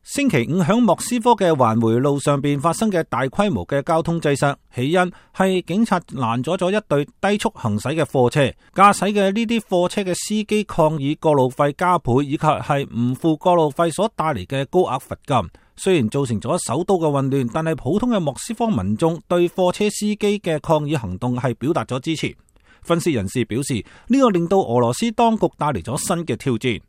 星期五響莫斯科嘅環回路上邊發生嘅大規模嘅交通擠塞，起因係警察攔咗咗一隊低速行駛嘅貨車，駕駛嘅呢啲貨車嘅司機抗議過路費加倍，以及係唔付過路費所帶嚟嘅高額罰金。雖然造成咗首都嘅混亂，但係普通嘅莫斯科民眾對貨車司機嘅抗議行動係表達咗支持。分析人士表示，呢個令到俄羅斯當局帶嚟咗新嘅挑戰。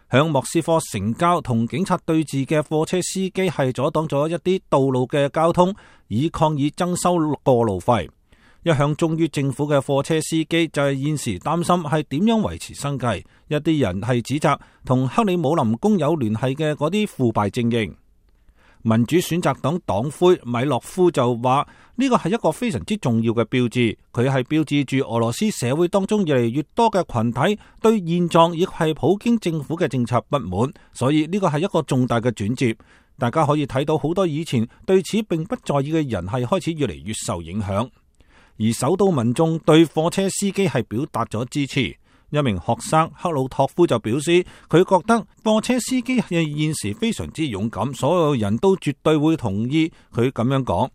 響莫斯科城郊同警察對峙嘅貨車司機係阻擋咗一啲道路嘅交通，以抗議徵收過路費。一向忠於政府嘅貨車司機就係現時擔心係點樣維持生計。一啲人係指責同克里姆林宮有聯繫嘅嗰啲腐敗精英。民主選擇黨黨魁米洛夫就話呢個係一個非常之重要嘅標誌，佢係標誌住俄羅斯社會當中越嚟越多嘅群體對現狀亦係普京政府嘅政策不滿，所以呢個係一個重大嘅轉折。大家可以睇到好多以前對此並不在意嘅人係開始越嚟越受影響，而首都民眾對貨車司機係表達咗支持。一名學生克魯托夫就表示，佢覺得貨車司機係現時非常之勇敢，所有人都絕對會同意佢咁樣講。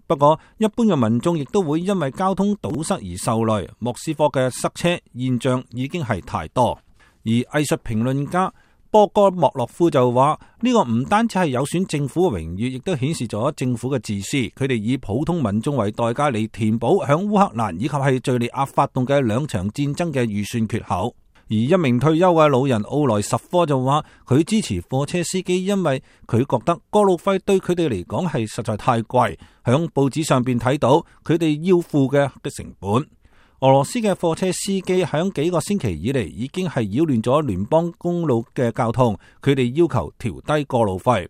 不過一般嘅民眾亦都會因為交通堵塞而受累，莫斯科嘅塞車現象已經係太多。而藝術評論家波哥莫洛夫就話，呢個唔單止係有損政府嘅榮譽，亦都顯示咗政府嘅自私。佢哋以普通民眾為代價嚟填補響烏克蘭以及係敘利亞發動嘅兩場戰爭嘅預算缺口。而一名退休嘅老人奧萊什科就話，佢支持貨車司機，因為佢覺得過路費對佢哋嚟講係實在太貴，響報紙上邊睇到佢哋要付嘅成本。俄羅斯嘅貨車司機響幾個星期以嚟已經係擾亂咗聯邦公路嘅交通，佢哋要求調低過路費。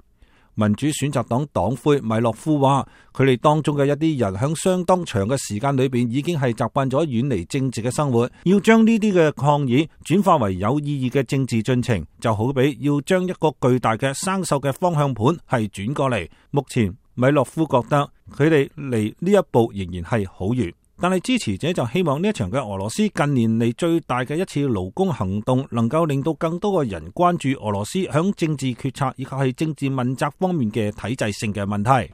民主選擇黨黨魁米洛夫話，佢哋當中嘅一啲人響相當長嘅時間裏邊已經係習慣咗遠離政治嘅生活，要將呢啲嘅抗議轉化為有意義嘅政治進程，就好比要將一個巨大嘅生鏽嘅方向盤係轉過嚟。目前米洛夫覺得佢哋離呢一步仍然係好遠。但係支持者就希望呢一場嘅俄羅斯近年嚟最大嘅一次勞工行動，能夠令到更多嘅人關注俄羅斯響政治決策以及係政治問責方面嘅體制性嘅問題。